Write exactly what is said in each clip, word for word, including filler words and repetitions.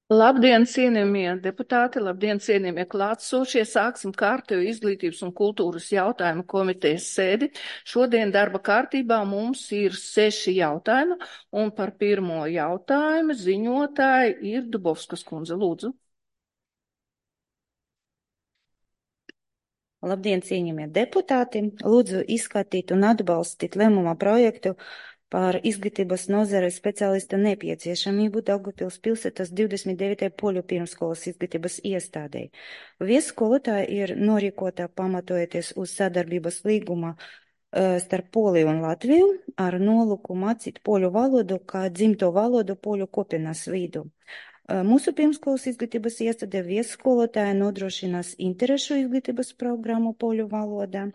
Labdien, cienījamie deputāti, labdien, cienījamie klātsošie. Sāksim kārtējo izglītības un kultūras jautājumu komitejas sēdi. Šodien darba kārtībā mums ir seši jautājumi, un par pirmo jautājumu ziņotāji ir Dubovskas kundze. Lūdzu. Labdien, cienījamie deputāti! Lūdzu izskatīt un atbalstīt lēmuma projektu par izglītības nozares speciālista nepieciešamību Daugavpils pilsētas divdesmit devītajai poļu pirmskolas izglītības iestādei. Viesskolotāja ir norīkota pamatojoties uz sadarbības līguma uh, starp Poliju un Latviju ar nolūku mācīt poļu valodu kā dzimto valodu poļu kopienas vidū. Mūsu pirmskolas izglītības iestāde viesskolotāja nodrošinās interešu izglītības programmu poļu valodā,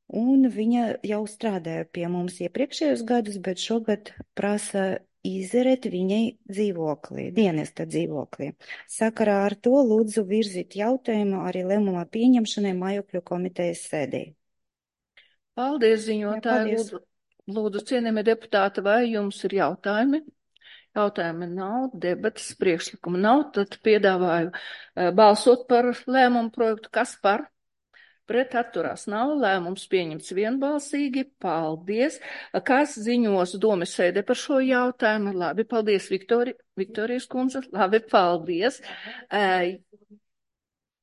un viņa jau strādāja pie mums iepriekšējos gadus, bet šogad prasa izerēt viņai dzīvoklī, dienesta dzīvoklī. Sakarā ar to lūdzu virzīt jautājumu arī lēmumā pieņemšanai mājokļu komitejas sēdē. Paldies, ziņotāji. Paldies. Lūdzu, lūdzu, cienījamie deputāti, vai jums ir jautājumi? Jautājumi nav, debatas priekšlikuma nav, tad piedāvāju uh, balsot par lēmumu projektu. Kas par? Pret atturās nav, lēmums pieņemts vienbalsīgi. Paldies. Kas ziņos domes sēdē par šo jautājumu? Labi, paldies, Viktori, Viktorijas kundze. Labi, paldies. Uh,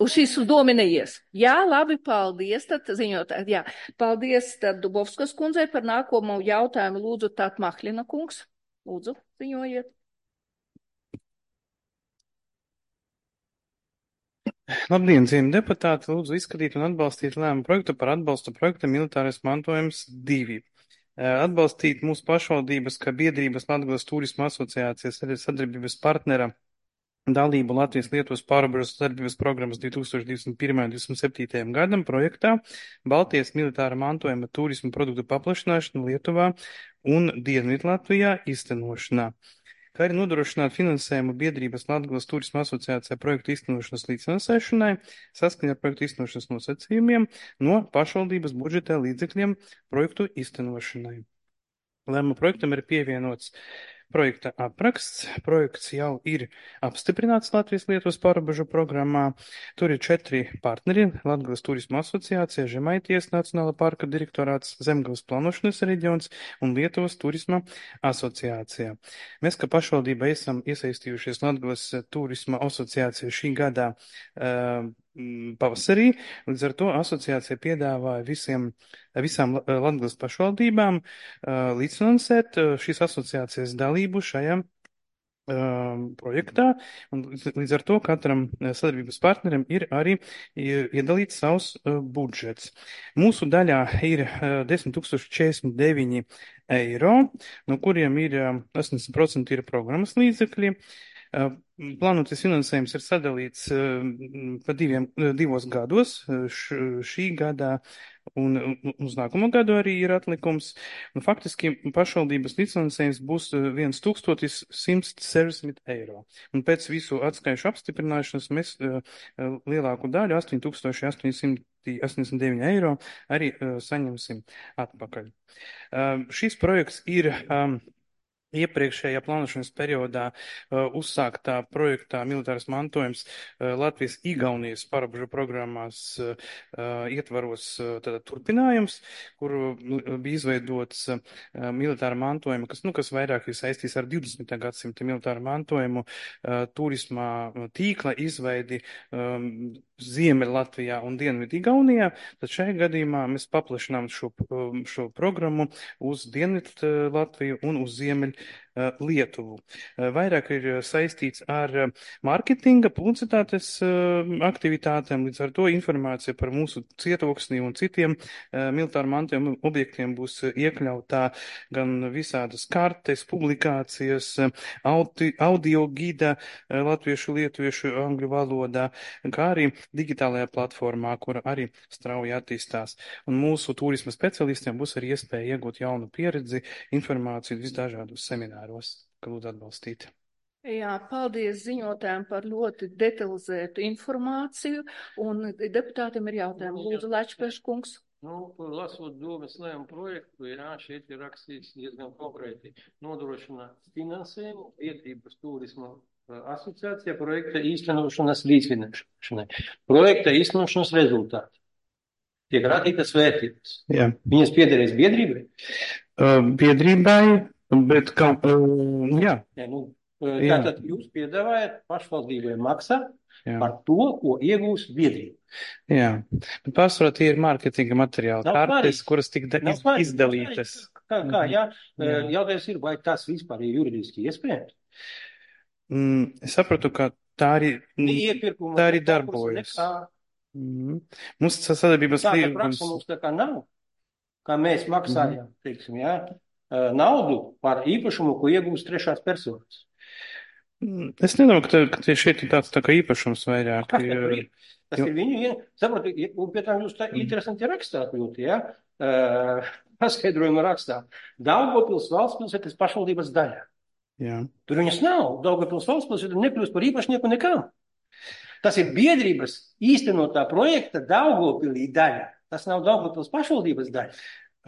Uz šīs domi neies. Jā, labi, paldies. Tad ziņot, jā, paldies tad Dubovskas kundzei par nākamo jautājumu. Lūdzu, tāt Mahlina kungs. Lūdzu, ziņojiet. Labdien, cienījamie deputāti! Lūdzu izskatīt un atbalstīt lēmumu projektu par atbalstu projekta Militārais mantojums divi. Atbalstīt mūsu pašvaldības, kā biedrības Latgales turisma asociācijas sadarbības partnera dalību Latvijas Lietuvas pārobežu sadarbības programmas divi tūkstoši divdesmit pirmajam un divdesmit septītajam gadam projektā Baltijas militāra mantojuma turisma produktu paplašināšana Lietuvā un Dienvidlatvijā īstenošanā, kā arī nodrošināt finansējumu biedrības Latgales turisma asociācijā projektu īstenošanas līdzfinansēšanai saskaņā ar projektu īstenošanas nosacījumiem no pašvaldības budžeta līdzekļiem projektu īstenošanai. Lēmuma projektam ir pievienots projekta apraksts. Projekts jau ir apstiprināts Latvijas Lietuvas pārobežu programmā. Tur ir četri partneri - Latgales turisma asociācija, Žemaitijas Nacionāla parka direktorāts, Zemgales plānošanas reģions un Lietuvas turisma asociācija. Mēs, kā pašvaldība, esam iesaistījušies Latgales turisma asociācija šī gada uh, pavasarī, līdz ar to asociācija piedāvāja visiem, visām Latgales pašvaldībām uh, līdzfinansēt uh, šīs asociācijas dalību šajā uh, projektā, un līdz ar to katram sadarbības partnerim ir arī iedalīts savs uh, budžets. Mūsu daļā ir uh, desmit tūkstoši četrdesmit deviņi eiro, no kuriem ir uh, astoņdesmit procenti ir programmas līdzekļi. Plānotais finansējums ir sadalīts pa diviem, divos gados, š, šī gadā un uz nākamo gadu arī ir atlikums. Un faktiski pašvaldības līdzfinansējums būs viens tūkstotis simts sešdesmit eiro. Un pēc visu atskaišu apstiprināšanas mēs lielāku daļu, astoņi tūkstoši astoņsimt astoņdesmit deviņi eiro, arī saņemsim atpakaļ. Šis projekts ir iepriekšējā plānošanas periodā uh, uzsāktā projektā Militārais mantojums uh, Latvijas-Igaunijas pārobežu programmās uh, ietvaros uh, tātad turpinājums, kur uh, bija izveidots uh, militāra mantojuma, kas, nu, kas vairāk ir saistīts ar divdesmitā gadsimta militāru mantojumu, uh, turismā tīkla izveidi um, Ziemeļ Latvijā un Dienvidu Igaunijā. Tad šajā gadījumā mēs paplašinām šo, šo programmu uz Dienvidu Latviju un uz Ziemeļ Lietuvu. Vairāk ir saistīts ar mārketinga, publicitātes aktivitātēm, līdz ar to informācija par mūsu cietoksni un citiem militāru mantojuma objektiem būs iekļautā gan visādas kartes, publikācijas, audi, audio gida latviešu, lietuviešu, angļu valodā, kā arī digitālajā platformā, kura arī strauji attīstās. Un mūsu turisma specialistiem būs arī iespēja iegūt jaunu pieredzi, informāciju visdažādos semināros, ka lūdzu atbalstīt. Jā, paldies ziņotājiem par ļoti detalizētu informāciju, un deputātiem ir jautājumi. Lūdzu, Lečpeš kungs. Nu, lasot domes lēmumu projektu, jā, šeit ir rakstīts diezgan konkrēti nodrošina finansējumu biedrības turisma Asociācija projekta īstenošanas līdzfinansēšanai. Projekta īstenošanas rezultāti. Tiek radītas vērtības. Jā. Viņas piederēs biedrībai? Uh, biedrībai, bet kaut, uh, jā. Jā, nu, tātad jūs piedāvājat pašvaldībai maksāt Jā. par to, ko iegūs biedrība. Jā, bet pārsvarā tie ir mārketinga materiāli, Nav kartes, svarīgi. kuras tik da- Nav iz, svarīgi, izdalītas. Kā, kā jā? Jā. Jautājums ir, vai tas vispār ir juridiski iespējams? Mm, es sapratu, ka tā arī, Iepirkuma, tā arī konkursa, darbojas. nekā. Mm. Mums tas sadarbības Tāda līgums. praksa mums tā kā nav, kā mēs maksājam, teiksim, jā, eh, naudu par īpašumu, ko iegūst trešās personas. Mm, Es nedomāju, ka, tā, ka tie šeit ir tāds tā kā īpašums vairāk. Kas jo- tur ir? Tas jo- ir viņu, vien- saprotu, ja- un pie tam jūs tā interesanti rakstāt ļoti, jā, uh, paskaidrojumu rakstāt. Daugavpils valstspilsētas pašvaldības daļa. Jā. Tur viņas nav. Daugavpils valstspilsēta nekļūst par īpašnieku nekam. Tas ir biedrības īstenotā projekta Daugavpilī daļa. Tas nav Daugavpils pašvaldības daļa.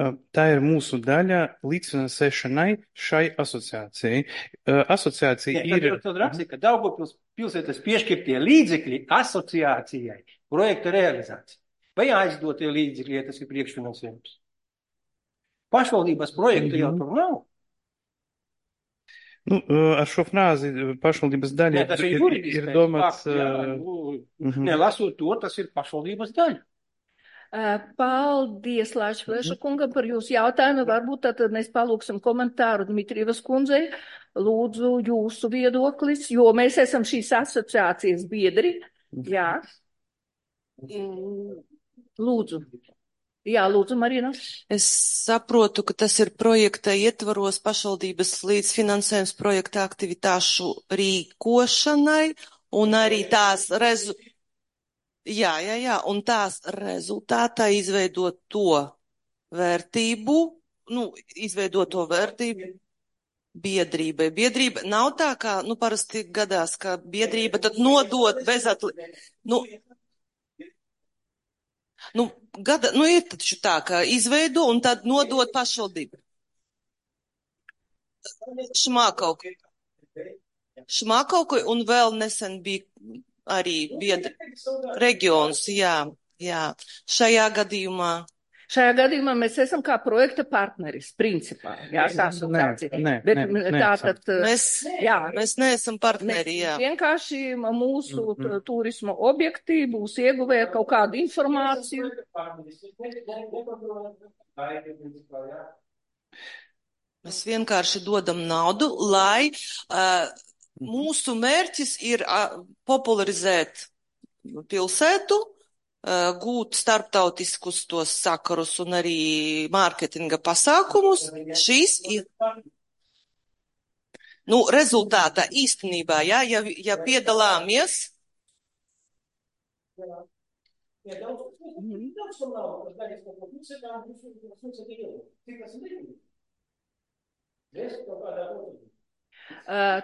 Uh, Tā ir mūsu daļa līdzfinansēšanai šai asociācijai. Uh, Asociācija Nē, tad, ir. tad rakstīja, ka Daugavpils pilsētas piešķirtie līdzekļi asociācijai projekta realizācija. Vai aizdotie līdzekļi, ja tas ir priekšfinansējums? Pašvaldības projekta jau Mhm. tur nav. Nu, uh, ar šo frāzi uh, pašvaldības daļa Nē, tas ir ir, juridiskais ir domāts. fakts, jā, uh, nu, mhm. Nelasot to, tas ir pašvaldības daļa. Uh, Paldies, Lāčplēša kungam, par jūsu jautājumu. Varbūt tad mēs palūksim komentāru Dmitrijevas kundzei. Lūdzu, jūsu viedoklis, jo mēs esam šīs asociācijas biedri. Jā. Mm, Lūdzu. Jā, lūdzu, Marina. Es saprotu, ka tas ir projekta ietvaros pašvaldības līdzfinansējums projekta aktivitāšu rīkošanai un arī tās rezu... Jā, jā, jā, un tās rezultātā izveidot to vērtību, nu, izveidot to vērtību biedrībai. Biedrība nav tā, kā, nu, parasti gadās, ka biedrība tad nodot bez atli... Nu, nu, gada, nu, ir taču tā, ka izveido un tad nodot pašvaldību. Šmākauku. Šmākauku un vēl nesen bija arī biedri reģions, jā, jā. Šajā gadījumā. Šajā gadījumā mēs esam kā projekta partneris, principā. Jā, tā asociācija. Nē, nē, Bet nē, tātad, Mēs, jā, mēs neesam mēs partneri, jā. vienkārši mūsu Mhm. t- turisma objekti būs ieguvēja kaut kādu informāciju. Mēs vienkārši dodam naudu, lai uh, mūsu mērķis ir uh, popularizēt pilsētu, uh, gūt starptautiskus tos sakarus un arī mārketinga pasākumus. Šīs ir, nu, rezultātā īstenībā, jā, ja, ja piedalāmies,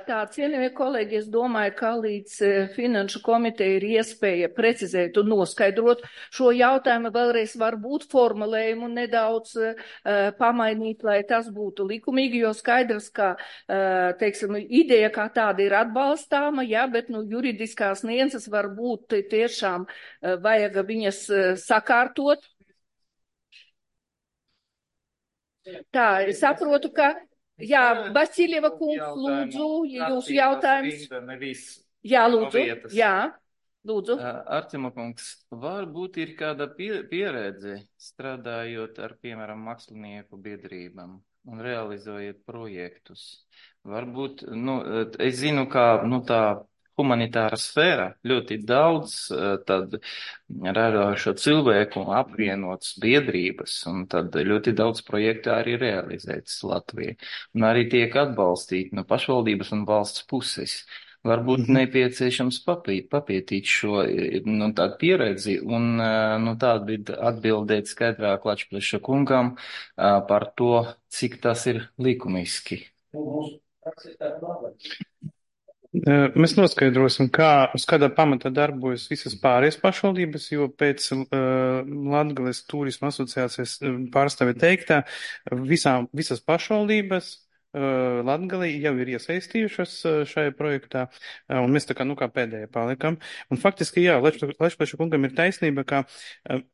Tā, cienījamie kolēģi, es domāju, ka līdz eh, Finanšu komiteja ir iespēja precizēt un noskaidrot šo jautājumu, vēlreiz varbūt formulējumu nedaudz uh, pamainīt, lai tas būtu likumīgi, jo skaidrs, ka, uh, teiksim, ideja kā tāda ir atbalstāma, jā, bet, nu, juridiskās nianses varbūt tiešām uh, vajag viņas uh, sakārtot. Tā, es saprotu, ka Jā, Vaciļieva kungs, lūdzu, ja jūsu jautājums. Jā, lūdzu, jā, lūdzu. Artima kungs, varbūt ir kāda pie, pieredze strādājot ar, piemēram, mākslinieku biedrībām un realizējot projektus. Varbūt, nu, es zinu, kā, nu, tā humanitāra sfēra ļoti daudz tad radošo cilvēku apvienotas biedrības, un tad ļoti daudz projektu arī realizētas Latvijā. Un arī tiek atbalstīti no pašvaldības un valsts puses. Varbūt mm-hmm. nepieciešams papīt, papietīt šo, nu, tādu pieredzi un, nu, tādu atbildēt skaidrāk Lačpleša kungam par to, cik tas ir likumiski. Mēs noskaidrosim, kā, uz kādā pamatā darbojas visas pārējās pašvaldības, jo pēc uh, Latgales turisma asociācijas pārstāvja teiktā, visām, visas pašvaldības uh, Latgalī jau ir iesaistījušas uh, šajā projektā, uh, un mēs tā kā, nu, kā pēdējie palikam. Un faktiski, jā, Lešpleša kungam ir taisnība, ka uh,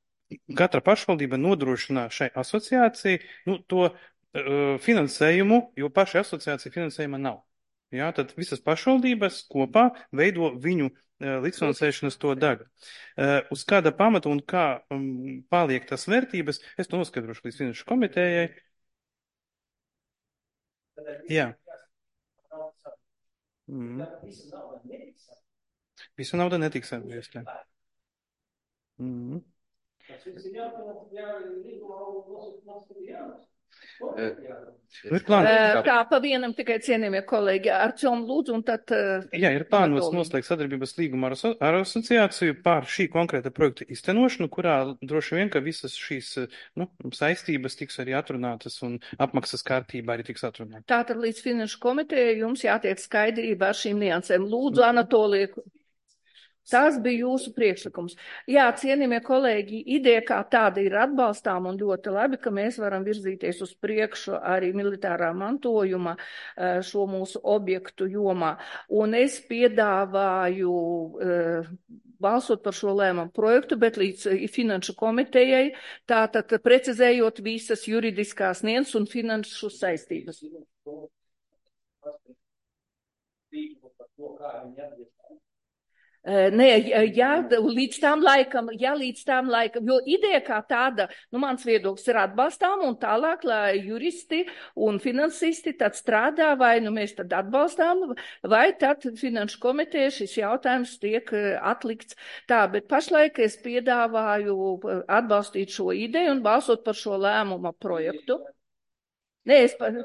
katra pašvaldība nodrošina šai asociācijai, nu, to uh, finansējumu, jo pašai asociācija finansējuma nav. Jā, tad visas pašvaldības kopā veido viņu uh, līdzfinansēšanas to daļu. Uh, uz kāda pamata un kā um, paliek tas vērtības, es to noskaidrošu līdz finanšu komitējai. Jā. Mm. Visa nauda netiks atgriezta. Mm. Nu, ir plāns. Tā pa vienam tikai cienījamie kolēģi ar Čom lūdzu un tad. Jā, ir plānots noslēgt sadarbības līgumu ar, aso ar asociāciju pār šī konkrēta projekta iztenošanu, kurā droši vien, ka visas šīs nu, saistības tiks arī atrunātas un apmaksas kārtībā arī tiks atrunātas. Tātad līdz finanšu komitejai jums jātiek skaidrība ar šīm niansēm. Lūdzu, Anatolija. Tas bija jūsu priekšlikums. Jā, cienījamie kolēģi, ideja kā tāda ir atbalstām un ļoti labi, ka mēs varam virzīties uz priekšu arī militārā mantojuma šo mūsu objektu jomā. Un es piedāvāju uh, balsot par šo lēmumu projektu, bet līdz finanšu komitejai, tātad precizējot visas juridiskās nianses un finanšu saistības. Nē, jā, līdz tām laikam, jā, līdz tām laikam, jo ideja kā tāda, nu, mans viedoklis ir atbalstām un tālāk, lai juristi un finansisti tad strādā, vai nu mēs tad atbalstām, vai tad finanšu komiteja šis jautājums tiek atlikts. Tā, bet pašlaik es piedāvāju atbalstīt šo ideju un balsot par šo lēmuma projektu. Nē, es par...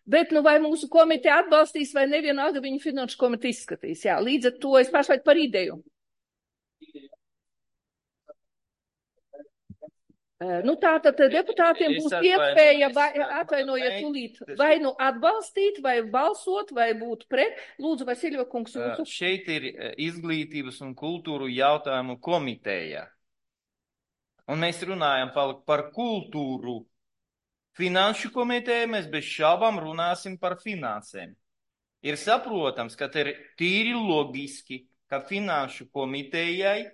Bet, nu, vai mūsu komiteja atbalstīs, vai nevienalga viņu finanšu komiteja izskatīs. Jā, līdz ar to es pašlaik par ideju. Nu, tātad deputātiem būs iespēja, vai, atvainojiet, tūlīt, vai nu atbalstīt, vai balsot, vai būt pret. Lūdzu, Vasilija kungs, jūsu. Šeit ir izglītības un kultūru jautājumu komiteja. Un mēs runājam par, par kultūru. Finanšu komiteja mēs bez šaubām runāsim par finansēm. Ir saprotams, ka te ir tīri logiski, ka finanšu komitejai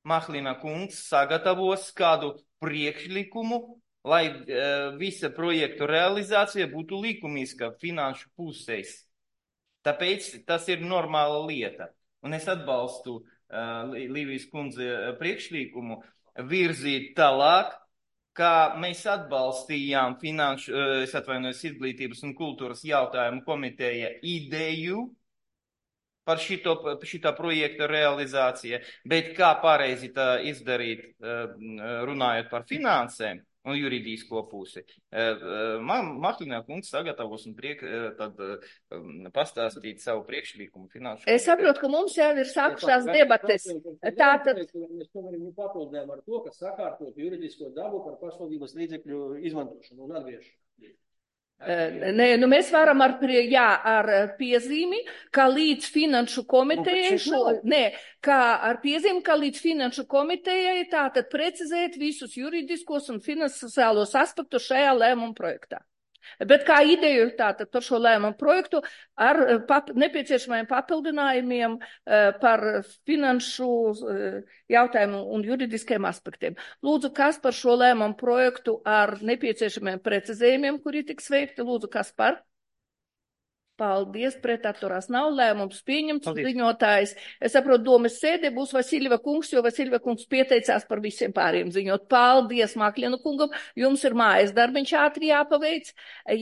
Mahlina kungs sagatavos kādu priekšlikumu, lai uh, visa projektu realizācija būtu likumiska finanšu pusēs. Tāpēc tas ir normāla lieta. Un es atbalstu uh, Līvijas kundze priekšlikumu virzīt tālāk, kā mēs atbalstījām finanšu, es atvainojos, izglītības un kultūras jautājumu komiteja ideju par šito, šitā projekta realizāciju, bet kā pareizi tā izdarīt, runājot par finansēm un juridisko pusi. Mahlina kungs sagatavos un priek, tad pastāstīt savu priekšlikumu finanšu. Es saprotu, ka mums jau ir sākušās debates. Tātad. Mēs tomēr papildinājām ar to, ka sakārtot juridisko dabu par pašvaldības līdzekļu izmantošanu un atgriešanu. Nē, nu mēs varam ar, jā, ar piezīmi, ka līdz finanšu komitejai, šo, nē, kā ar piezīmi, ka līdz finanšu komitejai tātad precizēt visus juridiskos un finansiālos aspektus šajā lēmuma projektā. Bet kā ideju tātad par šo lēmumu projektu ar pap nepieciešamajiem papildinājumiem uh, par finanšu uh, jautājumu un juridiskiem aspektiem. Lūdzu, kas par šo lēmumu projektu ar nepieciešamiem precizējumiem, kuri tiks veikti? Lūdzu, kas par? Paldies, pretatturās nav lēmums pieņemts, ziņotājs. Es saprotu, domas sēdē būs Vasilija kungs, jo Vasilija kungs pieteicās par visiem pāriem ziņot. Paldies, Maklina kungam, jums ir mājas darbiņš ātri jāpaveic.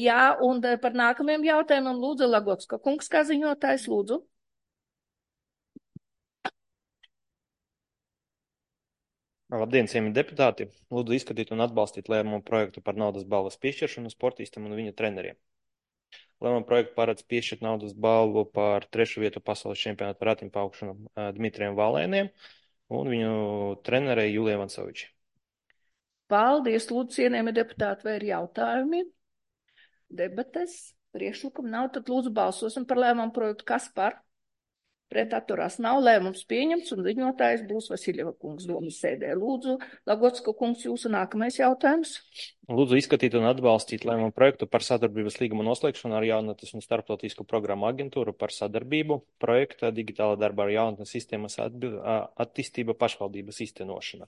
Jā, un par nākamajiem jautājumiem lūdzu Lagotska kungs, kā ziņotājs, lūdzu. Labdien, cienījamie deputāti! Lūdzu izskatīt un atbalstīt lēmumu projektu par naudas balvas piešķiršanu sportistam un viņa treneriem. Lēmuma projektu paredz piešķirt naudas balvu par trešu vietu pasaules čempionātu ratiņpaukšanu Dmitrijam Valēniem un viņu trenerei Julijai Vansovičai. Paldies, lūdzu, cienījamie deputāti, vai ir jautājumi? Debates, priekšlikumi nav, tad lūdzu balsosim par lēmumu projektu. Kas par? Pret atturās nav, lēmums pieņemts un ziņotājs būs Vasiļeva kungs domas sēdē. Lūdzu, Lagocka kungs, jūsu nākamais jautājums. Lūdzu izskatīt un atbalstīt lēmumu projektu par sadarbības līguma noslēgšanu ar jaunatnes un starptautisku programmu aģentūru par sadarbību projekta digitāla darba ar jaunatnes sistēmas attīstība pašvaldības īstenošana.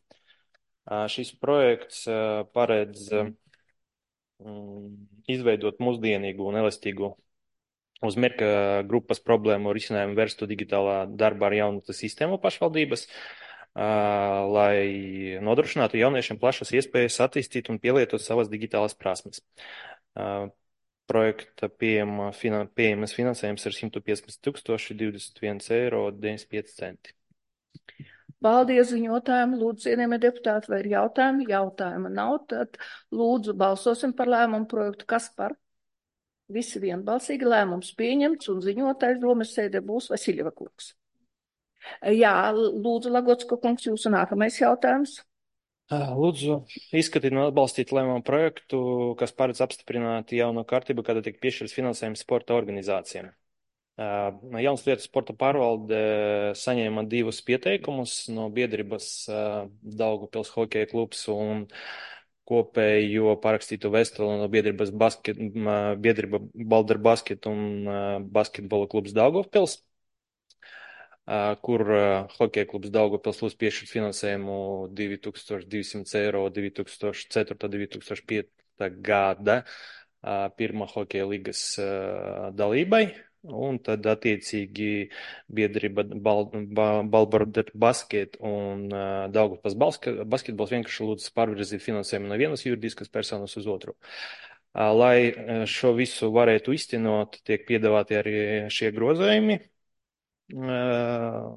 Šis projekts paredz izveidot mūsdienīgu un elastīgu uz mērķa grupas problēmu risinājumu vērstu digitālā darba ar jaunatnes sistēmu pašvaldības, lai nodrošinātu jauniešiem plašas iespējas attīstīt un pielietot savas digitālās prasmes. Projekta pieejama, pieejamas finansējums ir simt piecpadsmit tūkstoši divdesmit viens eiro deviņdesmit pieci centi. Paldies ziņotājiem, lūdzu, cienījamie deputāti, vai ir jautājumi? Jautājuma nav, tad lūdzu balsosim par lēmumu projektu. Kas par? Visi vienbalsīgi lēmums pieņemts un ziņotājs domas sēdē būs Vasiļeva kungs. Jā, lūdzu, Lagocka kungs, jūsu nākamais jautājums. Lūdzu, izskatīt un atbalstīt lēmumu projektu, kas paredz apstiprināt jauno kārtību, kāda tiek piešķirts finansējums sporta organizācijām. Jaunas lietas sporta pārvalde saņēma divus pieteikumus no biedrības Daugavpils hokeja klubs un kopējo parakstītu vēstuli no biedrības basket, biedrība Balder Basket un basketbola klubs Daugavpils, kur hokeja klubs Daugavpils lūdz piešķirt finansējumu divi tūkstoši divsimt eiro divi tūkstoši četrtā divi tūkstoši piekta gada pirmā hokeja līgas dalībai. Un tad attiecīgi biedrība Balder Basket un uh, Daugavpils basketbols vienkārši lūdz pārvirzīt finansējumu no vienas juridiskas personas uz otru. Uh, lai šo visu varētu iztenot, tiek piedāvāti arī šie grozējumi uh,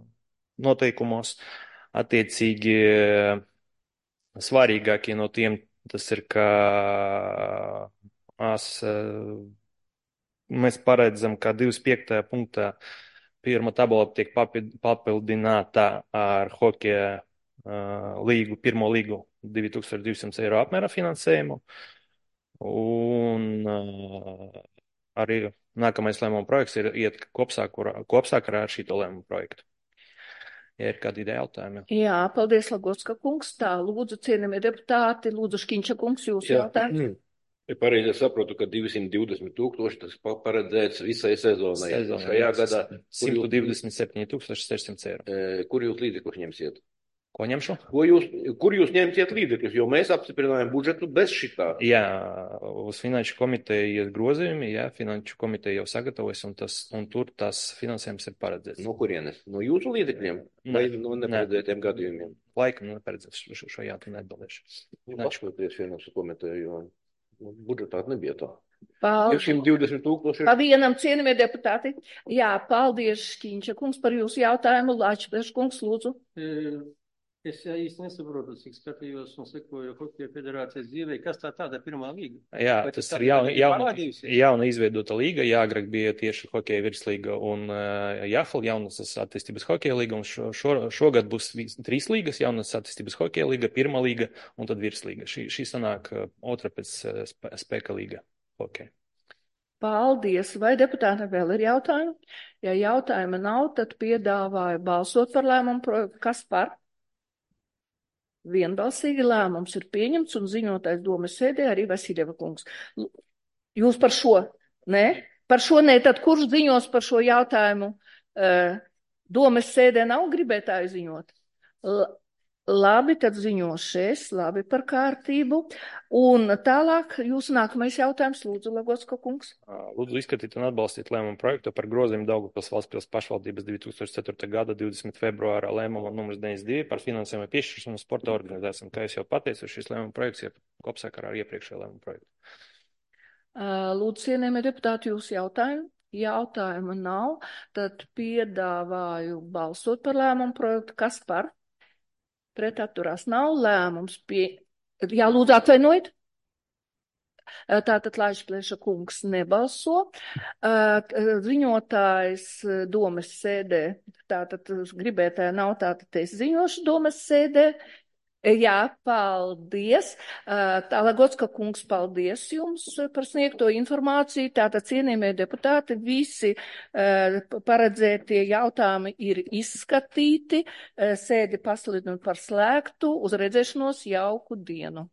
noteikumos. Attiecīgi svarīgākie no tiem tas ir, ka as, uh, mēs paredzam, ka divdesmit piektajā punktā pirmā tabula tiek papildināta ar hokeja uh, līgu, pirmo līgu divi tūkstoši divsimt eiro apmērā finansējumu. Un uh, arī nākamais lēmuma projekts ir iet kopsākurā, kopsākarā ar šito lēmumu projektu. Ja ir kādi jautājumi? Jā, paldies, Lagocka kungs. Tā, lūdzu, cienījamie deputāti, lūdzu, Škiņša kungs, jūsu jautājums. Ja pareizi saprotu, ka divsimt divdesmit tūkstoši tas paredzēts visai sezonai. Sezonai Šajā gadā simt divdesmit septiņi tūkstoši sešsimt eiro. Kur jūs līdzekļus ņemsiet? Ko ņemšu? Ko jūs, kur jūs ņemsiet līdzekļus? Jo mēs apstiprinājām budžetu bez šitā. Jā, uz finanšu komiteju ies grozījumi, jā, finanšu komiteja jau sagatavojas, un, tas, un tur tas finansējums ir paredzēts. No kurienes? No jūsu līdzekļiem? Vai no neparedzētiem ne. gadījumiem? Laikam neparedzēts, šo, šo jautājumu neatbildēšu. Paskaties finanšu komiteju, jo budžetā nebija tā. Paldies. simt divdesmit tūkstoši. Pa vienam, cienījamie deputāti. Jā, paldies, Škiņša kungs, par jūsu jautājumu. Lāčplēš kungs, lūdzu. Es īsti nesaprotu, cik skatījos un sekoju Hokeja federācijas dzīvē, kas tā tāda pirmā līga? Jā, vai tas ir jauna, jauna, jauna izveidota līga, jā, agrāk bija tieši Hokeja virslīga un uh, Jāfal jaunas attīstības Hokeja līga, un šo, šo, šogad būs trīs līgas, jaunas attīstības Hokeja līga, pirmā līga un tad virslīga. Šī, šī sanāk uh, otra pēc uh, spēka līga Hokeja. Paldies. Vai deputāti vēl ir jautājumi? Ja jautājuma nav, tad piedāvāju balsot par lēmumu projektu. Kas par? Vienbalsīgi lēmums ir pieņemts un ziņotājs domas sēdē arī Vasiļeva kungs. Jūs par šo? Nē? Par šo nē, tad kurš ziņos par šo jautājumu? Domas sēdē nav gribētāju ziņot? L labi, tad ziņošu es, labi par kārtību. Un tālāk jūsu nākamais jautājums, lūdzu, Lagocka kungs. Lūdzu izskatīt un atbalstīt lēmumu projektu par grozījumu Daugavpils valstspils pašvaldības divi tūkstoši ceturtā gada divdesmit februāra lēmuma numurs deviņdesmit divi par finansējumu piešķiršanu sporta organizācijām. Kā es jau pateicu, šis lēmuma projekts ir kopsakarā ar iepriekšējo lēmumu projektu. Lūdzu, cienījamie deputāti, jūsu jautājumu. Jautājuma nav, tad piedāvāju balsot par lēmumu projektu. Kas par? Pret atturās nav, lēmums pie... Jā, lūdzu, atvainojiet. Tātad Laišplēša kungs nebalso. Ziņotājs domas sēdē, tātad gribētāja nav, tātad es ziņošu domas sēdē. Jā, paldies. Tālagotska kungs, paldies jums par sniegto informāciju. Tātad, cienījamie deputāti, visi paredzētie jautājumi ir izskatīti. Sēdi pasludinu par slēgtu. Uz redzēšanos, jauku dienu.